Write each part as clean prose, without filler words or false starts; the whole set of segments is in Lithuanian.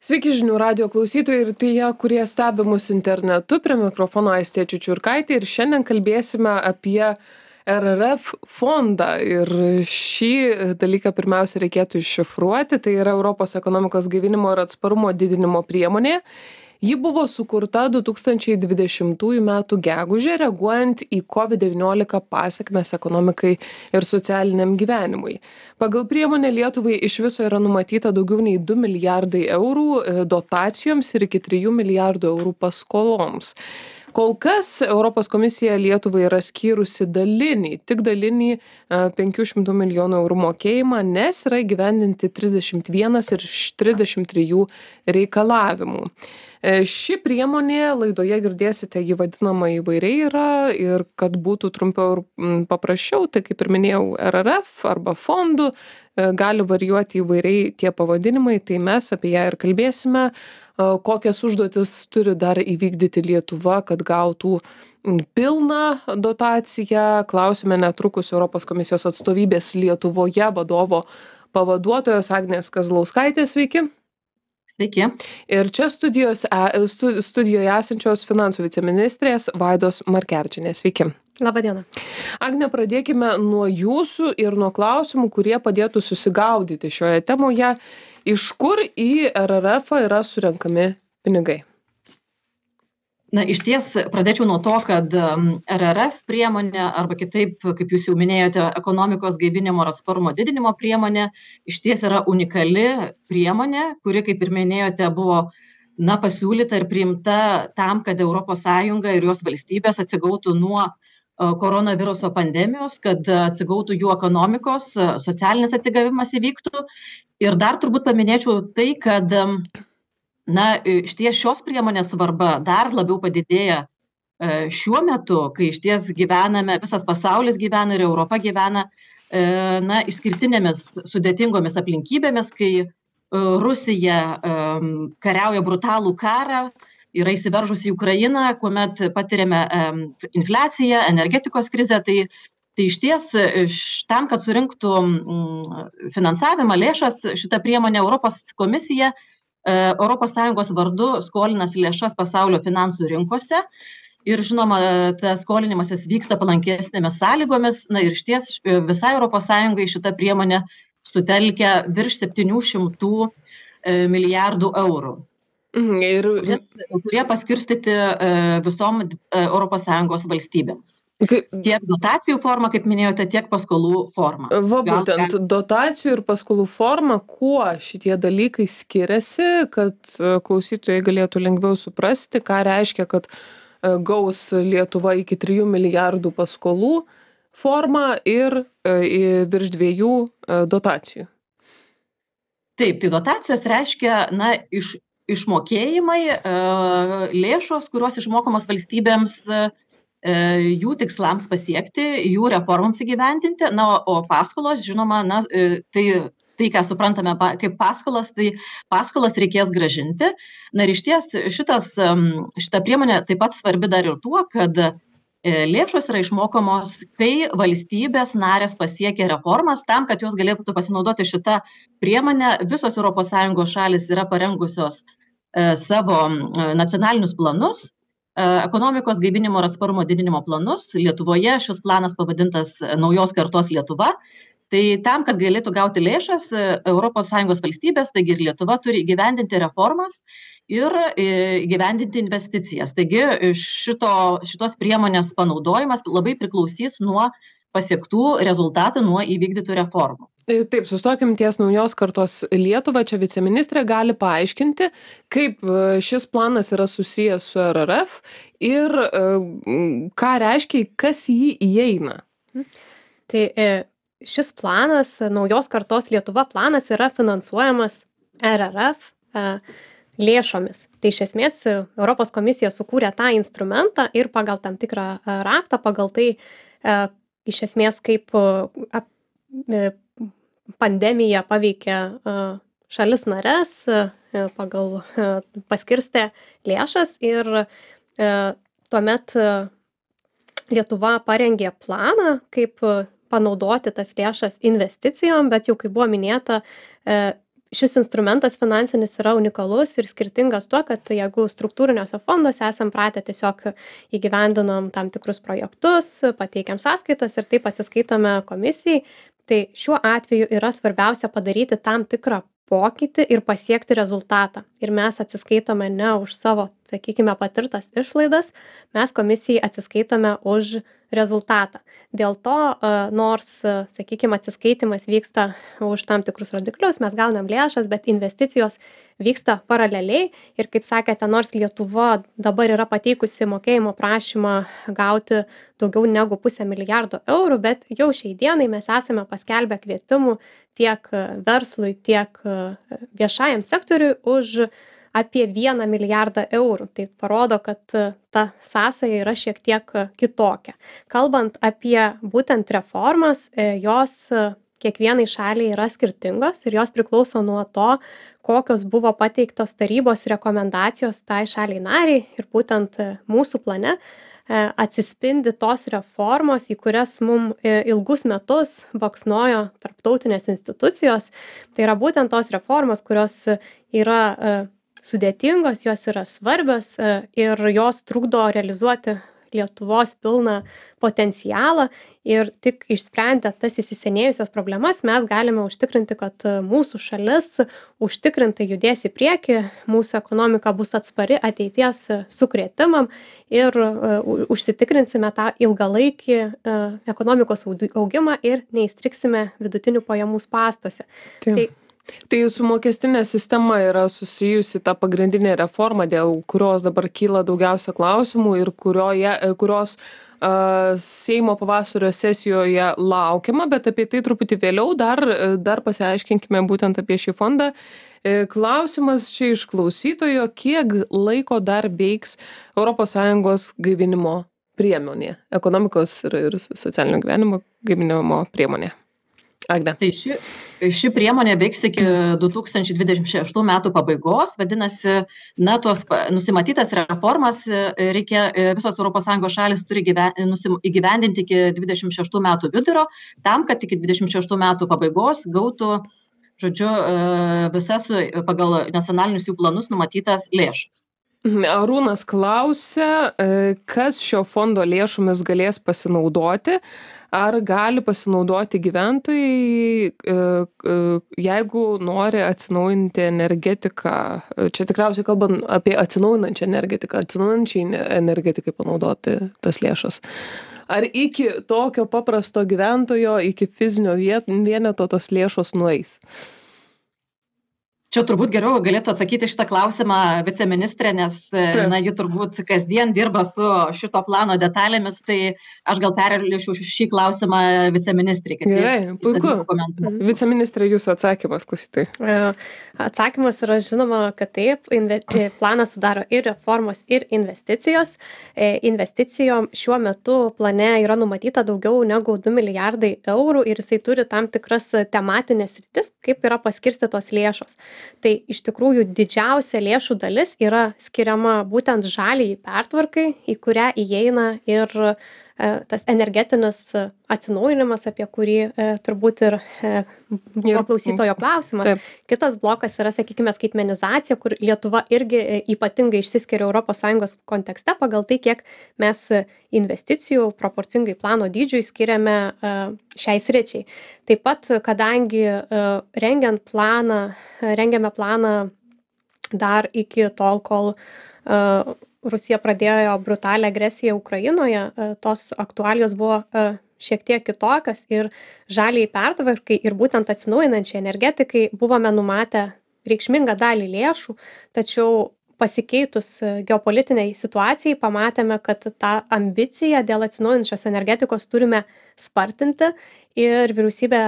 Sveiki žinių radijo klausytojai ir tie, kurie stebi mus internetu. Prie mikrofono Aistė Čiučiurkaitė ir šiandien kalbėsime apie RRF fondą. Ir šį dalyką pirmiausia reikėtų iššifruoti. Tai yra Europos ekonomikos gaivinimo ir atsparumo didinimo priemonė. Ji buvo sukurta 2020 m. gegužę, reaguojant į COVID-19 pasekmes ekonomikai ir socialiniam gyvenimui. Pagal priemonę Lietuvai iš viso yra numatyta daugiau nei 2 milijardai eurų dotacijoms ir iki 3 milijardų eurų paskoloms. Kol kas Europos komisija Lietuvai yra skyrusi tik dalinį 500 milijonų eurų mokėjimą, nes yra įgyvendinti 31 iš 33 reikalavimų. Ši priemonė, laidoje girdėsite, ji vadinama įvairiai yra ir kad būtų trumpiau ir paprasčiau, tai kaip ir minėjau, RRF arba fondų, gali varijuoti įvairiai tie pavadinimai, tai mes apie ją ir kalbėsime. Kokias užduotis turi dar įvykdyti Lietuva, kad gautų pilną dotaciją. Klausime netrukus Europos komisijos atstovybės Lietuvoje vadovo pavaduotojos Agnės Kazlauskaitės. Sveiki. Sveiki. Ir čia studijoje esančios finansų viceministrės Vaidos Markevičienės. Sveiki. Labadiena. Agne, pradėkime nuo jūsų ir nuo klausimų, kurie padėtų susigaudyti šioje temoje. Iš kur į RRF yra surenkami pinigai? Na, iš ties pradėčiau nuo to, kad RRF priemonė, arba kitaip, kaip jūs jau minėjote, ekonomikos gaivinimo ir atsparumo didinimo priemonė, iš ties yra unikali priemonė, kuri, kaip ir minėjote, buvo pasiūlyta ir priimta tam, kad ES ir jos valstybės atsigautų nuo koronaviruso pandemijos, kad atsigautų jų ekonomikos, socialinis atsigavimas įvyktų. Ir dar turbūt paminėčiau tai, kad išties šios priemonės svarba dar labiau padidėja šiuo metu, kai išties gyvename, visas pasaulis gyvena ir Europa gyvena išskirtinėmis sudėtingomis aplinkybėmis, kai Rusija kariauja brutalų karą, yra įsiveržusi į Ukrainą, kuomet patiriame infliaciją, energetikos krizę, tai išties tam, kad surinktų finansavimą, lėšas, šitą priemonę Europos komisija ES vardu skolinasi lėšas pasaulio finansų rinkose ir, žinoma, tas skolinimasis vyksta palankesnėmis sąlygomis. Ir išties visai ES šitą priemonę sutelkia virš 700 milijardų eurų. Kurie paskirstyti visom ES valstybėms. Tiek dotacijų forma, kaip minėjote, tiek paskolų forma. Būtent dotacijų ir paskolų forma, kuo šitie dalykai skiriasi, kad klausytojai galėtų lengviau suprasti, ką reiškia, kad gaus Lietuva iki 3 milijardų paskolų formą ir virš 2 dotacijų. Taip, tai dotacijos reiškia, išmokėjimai, lėšos, kurios išmokamos valstybėms jų tikslams pasiekti, jų reformams įgyvendinti, o paskolos, žinoma, tai, ką suprantame kaip paskolas, tai paskolas reikės grąžinti. Ir išties šita priemonė taip pat svarbi dar ir tuo, kad lėšos yra išmokamos, kai valstybės narės pasiekia reformas. Tam, kad jos galėtų pasinaudoti šitą priemonę, visos ES šalis yra parengusios savo nacionalinius planus, ekonomikos gaivinimo ir atsparumo didinimo planus. Lietuvoje šis planas pavadintas Naujos kartos Lietuva. Tai tam, kad galėtų gauti lėšas, ES valstybės, taigi ir Lietuva turi įgyvendinti reformas ir įgyvendinti investicijas. Taigi šitos priemonės panaudojimas labai priklausys nuo pasiektų rezultatų, nuo įvykdytų reformų. Taip, sustokim ties Naujos kartos Lietuva. Čia viceministrė gali paaiškinti, kaip šis planas yra susijęs su RRF ir ką reiškia, kas jį įeina. Tai šis planas, Naujos kartos Lietuva planas, yra finansuojamas RRF lėšomis. Tai iš esmės Europos komisija sukūrė tą instrumentą ir pagal tam tikrą raktą, pagal tai iš esmės kaip pandemija paveikė šalis nares, pagal paskirstė lėšas ir tuomet Lietuva parengė planą, kaip panaudoti tas lėšas investicijom, bet jau kaip buvo minėta, šis instrumentas finansinis yra unikalus ir skirtingas tuo, kad jeigu struktūriniuose fonduose esam pratę tiesiog įgyvendinam tam tikrus projektus, pateikiam sąskaitas ir taip atsiskaitome komisijai, tai šiuo atveju yra svarbiausia padaryti tam tikrą pokytį ir pasiekti rezultatą. Ir mes atsiskaitome ne už savo, sakykime, patirtas išlaidas, mes komisijai atsiskaitome už rezultatą. Dėl to, nors, sakykime, atsiskaitimas vyksta už tam tikrus rodiklius, mes gaunam lėšas, bet investicijos vyksta paraleliai. Ir kaip sakėte, nors Lietuva dabar yra pateikusi mokėjimo prašymą gauti daugiau negu 500 milijardo eurų, bet jau šiai dienai mes esame paskelbę kvietimų tiek verslui, tiek viešajam sektoriui už apie 1 milijardą eurų. Tai parodo, kad ta sąsaja yra šiek tiek kitokia. Kalbant apie būtent reformas, jos kiekvienai šaliai yra skirtingos ir jos priklauso nuo to, kokios buvo pateiktos tarybos rekomendacijos tai šaliai nariai ir būtent mūsų plane atsispindi tos reformos, į kurias mum ilgus metus baksnojo tarptautinės institucijos. Tai yra būtent tos reformos, kurios yra sudėtingos, jos yra svarbios ir jos trukdo realizuoti Lietuvos pilną potencialą ir tik išsprendę tas įsisenėjusias problemas mes galime užtikrinti, kad mūsų šalis užtikrintai judės į priekį, mūsų ekonomika bus atspari ateities sukrėtimam ir užsitikrinsime tą ilgalaikį ekonomikos augimą ir neįstriksime vidutinių pajamų spąstuose. Tai su mokestinė sistema yra susijusi ta pagrindinė reforma, dėl kurios dabar kyla daugiausia klausimų ir kurios Seimo pavasario sesijoje laukiama, bet apie tai truputį vėliau dar pasiaiškinkime būtent apie šį fondą. Klausimas čia iš klausytojo, kiek laiko dar veiks ES gaivinimo priemonė, ekonomikos ir socialinio gyvenimo gaivinimo priemonė. Agne. Tai ši priemonė veiks iki 2026 metų pabaigos, vadinasi, tuos nusimatytas reformas reikia, visos ES šalis turi įgyvendinti iki 26 metų vidurio, tam, kad iki 26 metų pabaigos gautų, visas pagal nacionalinius jų planus numatytas lėšas. Arūnas klausia, kas šio fondo lėšomis galės pasinaudoti, ar gali pasinaudoti gyventojai, jeigu nori atsinaujinti energetiką. Čia tikriausiai kalbant apie atsinaujinančią energetiką, atsinaujinančiai energetikai panaudoti tas lėšas. Ar iki tokio paprasto gyventojo, iki fizinio vieneto tos lėšos nueis? Čia turbūt geriau galėtų atsakyti šitą klausimą viceministrė, nes ji turbūt kasdien dirba su šito plano detalėmis, tai aš gal perlešiu šį klausimą viceministrė. Gerai, puiku. Viceministrė, jūsų atsakymas, klausytojai. Atsakymas yra žinoma, kad taip, planas sudaro ir reformos, ir investicijos. Investicijom šiuo metu plane yra numatyta daugiau negu 2 milijardai eurų ir jisai turi tam tikras tematinės sritis, kaip yra paskirstytos lėšos. Tai iš tikrųjų didžiausia lėšų dalis yra skiriama būtent žaliai pertvarkai, į kurią įeina ir tas energetinis atsinaujinimas, apie kurį turbūt ir buvo klausytojo klausimas. Taip. Kitas blokas yra, sakykime, skaitmenizacija, kur Lietuva irgi ypatingai išsiskiria ES kontekste pagal tai, kiek mes investicijų proporcingai plano dydžiui skiriame šiai sričiai. Taip pat, kadangi rengiame planą dar iki tol, kol Rusija pradėjo brutalią agresiją Ukrainoje, tos aktualijos buvo šiek tiek kitokios ir žaliai pertvarkai ir būtent atsinaujinančiai energetikai buvome numatę reikšmingą dalį lėšų, tačiau pasikeitus geopolitiniai situacijai pamatėme, kad tą ambiciją dėl atsinaujinančios energetikos turime spartinti ir vyriausybė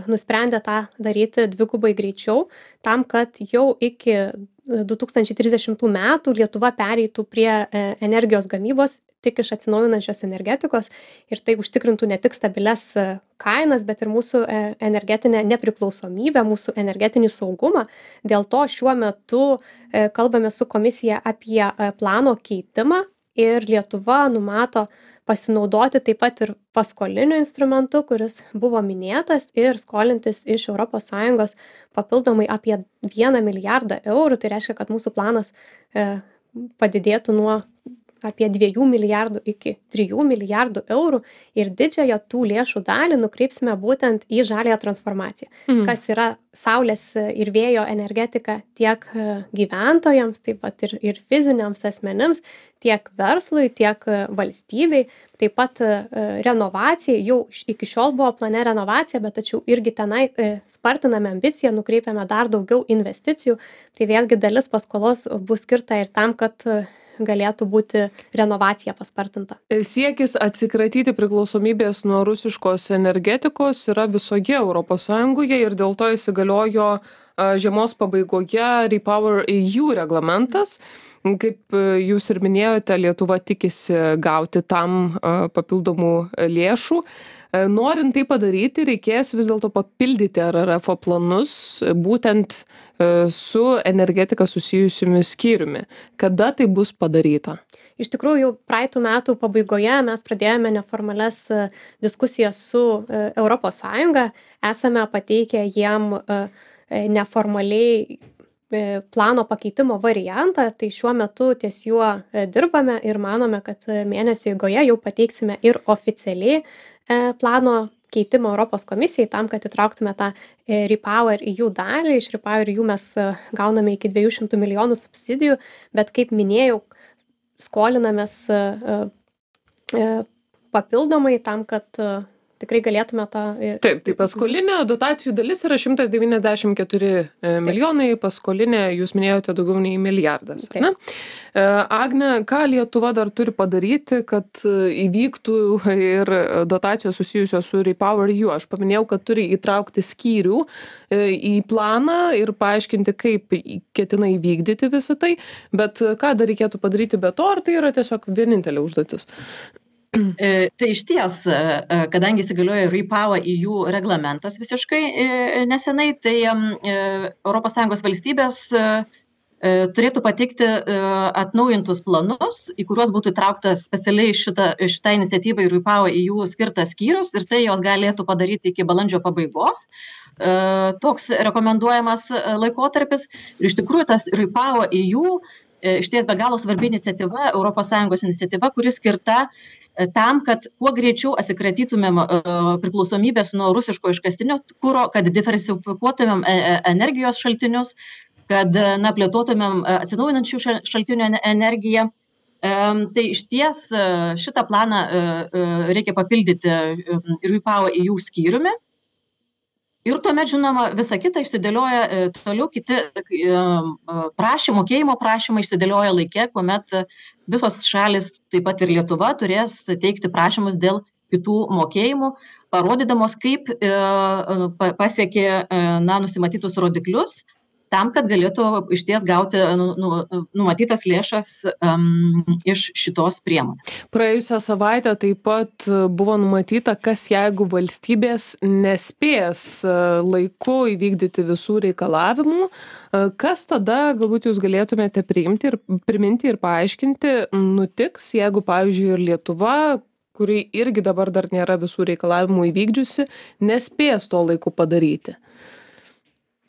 nusprendė tą daryti dvigubai greičiau, tam, kad jau iki 2030 metų Lietuva pereitų prie energijos gamybos tik iš atsinaujinančios energetikos ir tai užtikrintų ne tik stabilias kainas, bet ir mūsų energetinę nepriklausomybę, mūsų energetinį saugumą. Dėl to šiuo metu kalbame su komisija apie plano keitimą ir Lietuva numato pasinaudoti taip pat ir paskoliniu instrumentu, kuris buvo minėtas, ir skolintis iš ES papildomai apie 1 milijardą eurų. Tai reiškia, kad mūsų planas padidėtų nuo apie 2 milijardų iki 3 milijardų eurų ir didžiąją tų lėšų dalį nukreipsime būtent į žaliąją transformaciją, kas yra saulės ir vėjo energetika tiek gyventojams, taip pat ir fiziniams asmenims, tiek verslui, tiek valstybei, taip pat renovacijai. Jau iki šiol buvo plane renovacija, bet tačiau irgi tenai spartiname ambiciją, nukreipiame dar daugiau investicijų. Tai vėlgi dalis paskolos bus skirta ir tam, kad galėtų būti renovacija paspartinta. Siekis atsikratyti priklausomybės nuo rusiškos energetikos yra visoje ES ir dėl to įsigaliojo žiemos pabaigoje REPowerEU reglamentas. Kaip jūs ir minėjote, Lietuva tikisi gauti tam papildomų lėšų. Norint tai padaryti, reikės vis dėlto papildyti RRF planus būtent su energetika susijusiomis skyriumi. Kada tai bus padaryta? Iš tikrųjų, jau praeitų metų pabaigoje mes pradėjome neformalias diskusijas su ES. Esame pateikę jiem neformaliai plano pakeitimo variantą, tai šiuo metu ties juo dirbame ir manome, kad mėnesio eigoje jau pateiksime ir oficialiai plano keitimo Europos komisijai tam, kad įtrauktume tą REPowerEU dalį. Iš REPowerEU mes gauname iki 200 milijonų subsidijų, bet kaip minėjau, skolinamės papildomai tam, kad tikrai galėtume tą... Taip, tai paskolinė dotacijų dalis yra 194 milijonai, paskolinė, jūs minėjote, daugiau nei milijardas. Ne? Agne, ką Lietuva dar turi padaryti, kad įvyktų ir dotacijos susijusios su REPowerEU? Aš paminėjau, kad turi įtraukti skyrių į planą ir paaiškinti, kaip ketina įvykdyti visą tai, bet ką dar reikėtų padaryti be to, ar tai yra tiesiog vienintelė užduotis? Tai išties, kadangi įsigaliojo REPowerEU reglamentas visiškai nesenai, tai ES valstybės turėtų pateikti atnaujintus planus, į kuriuos būtų įtrauktas specialiai šitą iniciatyvą į REPowerEU skirtas skyrius, ir tai jos galėtų padaryti iki balandžio pabaigos. Toks rekomenduojamas laikotarpis. Ir iš tikrųjų tas REPowerEU išties be galo svarbi iniciatyva, ES iniciatyva, kuri skirta tam, kad kuo greičiau atsikratytumėm priklausomybės nuo rusiško iškastinio kuro, kad diversifikuotumėm energijos šaltinius, kad plėtotumėm atsinaujinančių šaltinių energiją. Tai išties šitą planą reikia papildyti REPowerEU skyriumi. Ir tuomet, žinoma, visa kita išsidėlioja toliau, kiti mokėjimo prašymai išsidėlioja laike, kuomet visos šalis, taip pat ir Lietuva, turės teikti prašymus dėl kitų mokėjimų, parodydamos, kaip pasiekė nusimatytus rodiklius, tam, kad galėtų išties gauti numatytas lėšas iš šitos priemonės. Praėjusią savaitę taip pat buvo numatyta, kas jeigu valstybės nespės laiku įvykdyti visų reikalavimų, kas tada galbūt jūs galėtumėte priminti ir paaiškinti nutiks, jeigu, pavyzdžiui, ir Lietuva, kuri irgi dabar dar nėra visų reikalavimų įvykdžiusi, nespės to laiku padaryti.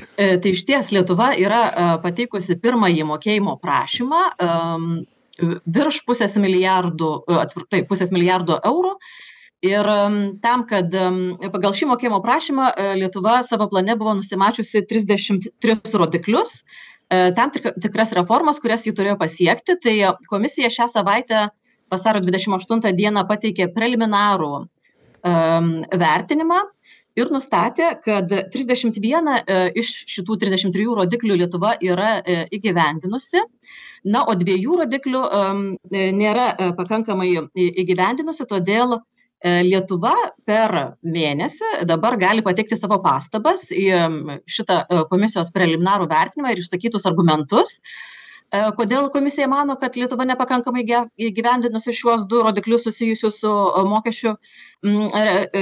Tai išties Lietuva yra pateikusi pirmąjį mokėjimo prašymą virš pusės milijardo eurų. Ir tam, kad pagal šį mokėjimo prašymą Lietuva savo plane buvo nusimačiusi 33 rodiklius, tam tikras reformas, kurias jį turėjo pasiekti. Tai komisija šią savaitę vasario 28 dieną pateikė preliminarų vertinimą ir nustatė, kad 31 iš šitų 33 rodiklių Lietuva yra įgyvendinusi, o 2 rodiklių nėra pakankamai įgyvendinusi, todėl Lietuva per mėnesį dabar gali pateikti savo pastabas į šitą komisijos preliminarų vertinimą ir išsakytus argumentus. Kodėl komisija mano, kad Lietuva nepakankamai įgyvendinusi šiuos 2 rodiklius susijusius su mokesčių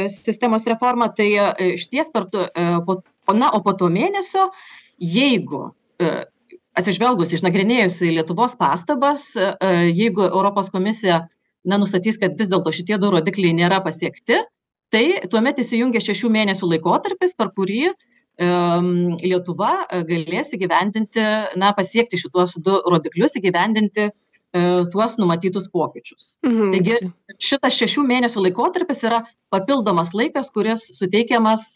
sistemos reforma, tai išties po to mėnesio, jeigu atsižvelgus išnagrinėjusi Lietuvos pastabas, jeigu Europos komisija nustatys, kad vis dėlto šitie 2 rodikliai nėra pasiekti, tai tuomet įsijungia 6 mėnesių laikotarpis, per kurį Lietuva galės įgyvendinti, pasiekti šituos 2 rodiklius, įgyvendinti tuos numatytus pokyčius. Taigi šitas 6 mėnesių laikotarpis yra papildomas laikas, kuris suteikiamas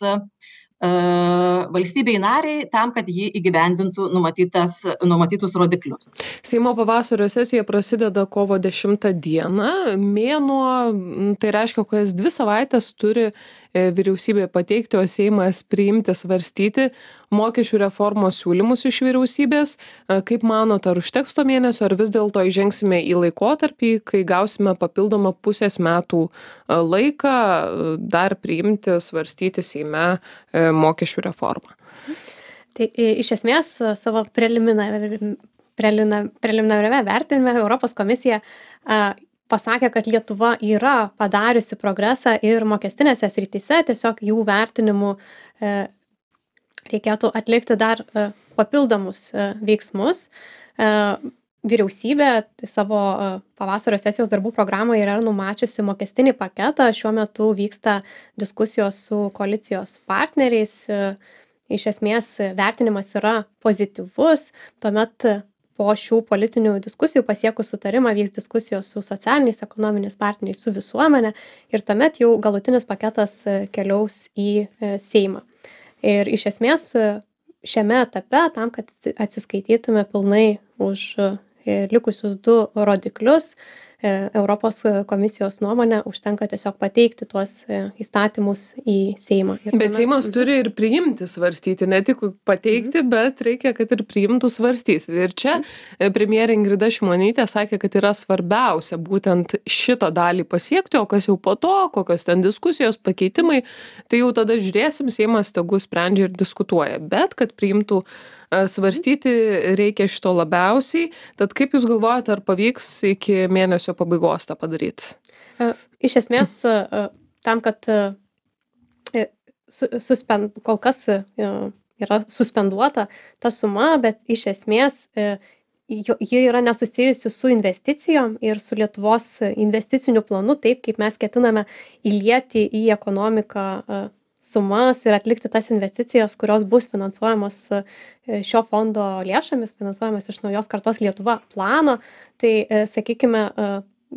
valstybei nariai tam, kad ji įgyvendintų numatytus rodiklius. Seimo pavasario sesija prasideda kovo 10 dieną. Mėnuo, tai reiškia, kokias 2 savaitės turi vyriausybė pateikti, o Seimas priimti, svarstyti mokesčių reformos siūlymus iš vyriausybės. Kaip manot, ar užteks to mėnesio, ar vis dėlto įžengsime į laikotarpį, kai gausime papildomą pusės metų laiką dar priimti, svarstyti Seime mokesčių reformą? Tai iš esmės savo preliminariame vertinime Europos komisija pasakė, kad Lietuva yra padariusi progresą ir mokestinėse srityse, tiesiog jų vertinimu reikėtų atlikti dar papildomus veiksmus. Vyriausybė savo pavasario sesijos darbų programoje yra numačiusi mokestinį paketą. Šiuo metu vyksta diskusijos su koalicijos partneriais. Iš esmės vertinimas yra pozityvus. Tuomet po šių politinių diskusijų pasiekus sutarimą vyks diskusijos su socialiniais, ekonominiais partneriais, su visuomenė ir tuomet jau galutinis paketas keliaus į Seimą. Ir iš esmės šiame etape, tam, kad atsiskaitytume pilnai už likusius 2 rodiklius, Europos komisijos nuomonė užtenka tiesiog pateikti tuos įstatymus į Seimą. Bet Seimas turi ir priimti, svarstyti, ne tik pateikti, bet reikia, kad ir priimtų, svarstyti. Ir čia premjerė Ingrida Šimonytė sakė, kad yra svarbiausia būtent šitą dalį pasiekti, o kas jau po to, kokios ten diskusijos, pakeitimai, tai jau tada žiūrėsim, Seimas tegu sprendžia ir diskutuoja. Bet kad priimtų, svarstyti reikia šito labiausiai. Tad kaip Jūs galvojate, ar pavyks iki mėnesio pabaigos tą padaryti? Iš esmės, tam, kad kol kas yra suspenduota ta suma, bet iš esmės ji yra nesusijusi su investicijom ir su Lietuvos investiciniu planu, taip kaip mes ketiname įlieti į ekonomiką sumas ir atlikti tas investicijas, kurios bus finansuojamos šio fondo lėšomis, finansuojamas iš naujos kartos Lietuva plano. Tai, sakykime,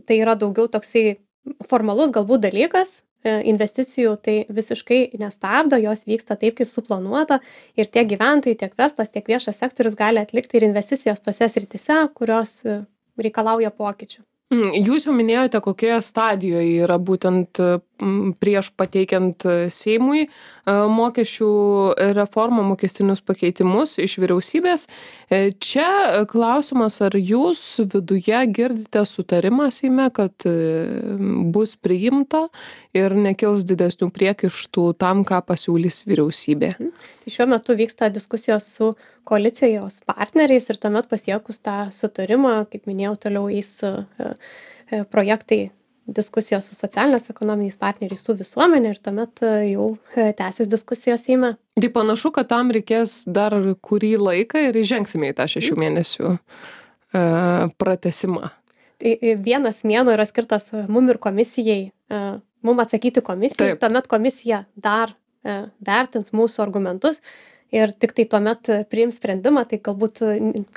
tai yra daugiau toksai formalus galbūt dalykas, investicijų tai visiškai nestabdo, jos vyksta taip, kaip suplanuota ir tiek gyventojai, tiek verslas, tiek viešas sektorius gali atlikti ir investicijas tose srityse, kurios reikalauja pokyčių. Jūs jau minėjote, kokioje stadijoje yra būtent prieš pateikiant Seimui mokesčių reformą, mokestinius pakeitimus iš vyriausybės. Čia klausimas, ar jūs viduje girdite sutarimą Seime, kad bus priimta ir nekils didesnių priekaištų tam, ką pasiūlys vyriausybė? Tai šiuo metu vyksta diskusijos su koalicijos partneriais ir tuomet pasiekus tą sutarimą, kaip minėjau, toliau eis projektai, diskusijos su socialinės ekonominiais partneriais, su visuomenė ir tuomet jau tęsis diskusijos Seime. Tai panašu, kad tam reikės dar kurį laiką ir įžengsime į tą 6 mėnesių pratesimą. Tai vienas mėnuo yra skirtas mum ir komisijai, mum atsakyti komisijai, tuomet komisija dar vertins mūsų argumentus ir tik tai tuomet priims sprendimą, tai galbūt,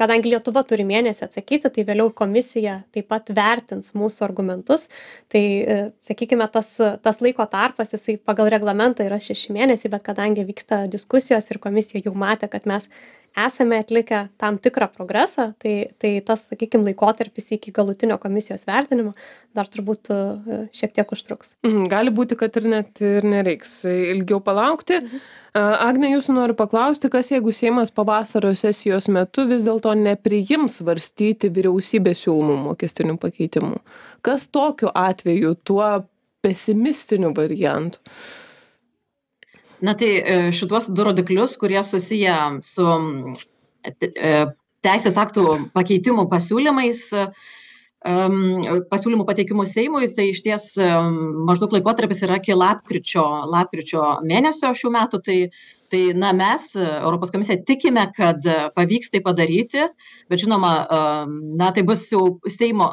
kadangi Lietuva turi mėnesį atsakyti, tai vėliau komisija taip pat vertins mūsų argumentus. Tai, sakykime, tas laiko tarpas, jisai pagal reglamentą yra 6 mėnesiai, bet kadangi vyksta diskusijos ir komisija jau matė, kad mes esame atlikę tam tikrą progresą, tai tas, sakykime, laikotarpis iki galutinio komisijos vertinimo dar turbūt šiek tiek užtruks. Gali būti, kad ir net ir nereiks ilgiau palaukti. Agne, jūsų noriu paklausti, kas jeigu Seimas pavasario sesijos metu vis dėlto nepriims svarstyti vyriausybės siūlomų mokestinių pakeitimų? Kas tokiu atveju tuo pesimistiniu variantu? Na tai šituos 2 rodiklius, kurie susiję su teisės aktų pakeitimų pasiūlymais, pasiūlymų pateikimų Seimui, tai išties maždaug laikotarpis yra iki lapkričio mėnesio šių metų. Tai na, mes, Europos komisija, tikime, kad pavyks tai padaryti, bet žinoma, na, tai bus jau Seimo,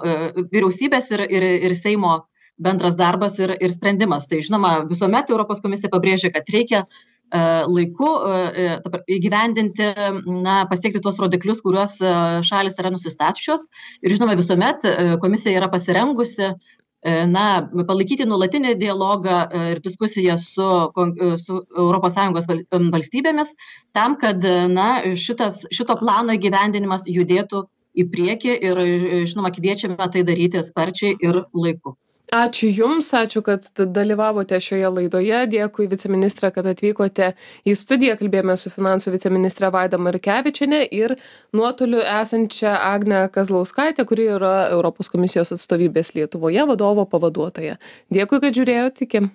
vyriausybės ir Seimo bendras darbas ir sprendimas. Tai žinoma, visuomet Europos komisija pabrėžia, kad reikia laiku įgyvendinti, na, pasiekti tuos rodiklius, kuriuos šalis yra nusistačiusios. Ir žinoma, visuomet komisija yra pasirengusi na, palaikyti nuolatinį dialogą ir diskusiją su ES valstybėmis tam, kad na, šito plano įgyvendinimas judėtų į priekį ir, žinoma, kviečiame tai daryti sparčiai ir laiku. Ačiū Jums, ačiū, kad dalyvavote šioje laidoje. Dėkui viceministrė, kad atvykote į studiją. Kalbėjome su finansų viceministre Vaida Markevičienė ir nuotoliu esančia Agne Kazlauskaitė, kuri yra Europos komisijos atstovybės Lietuvoje vadovo pavaduotoja. Dėkui, kad žiūrėjote. Iki.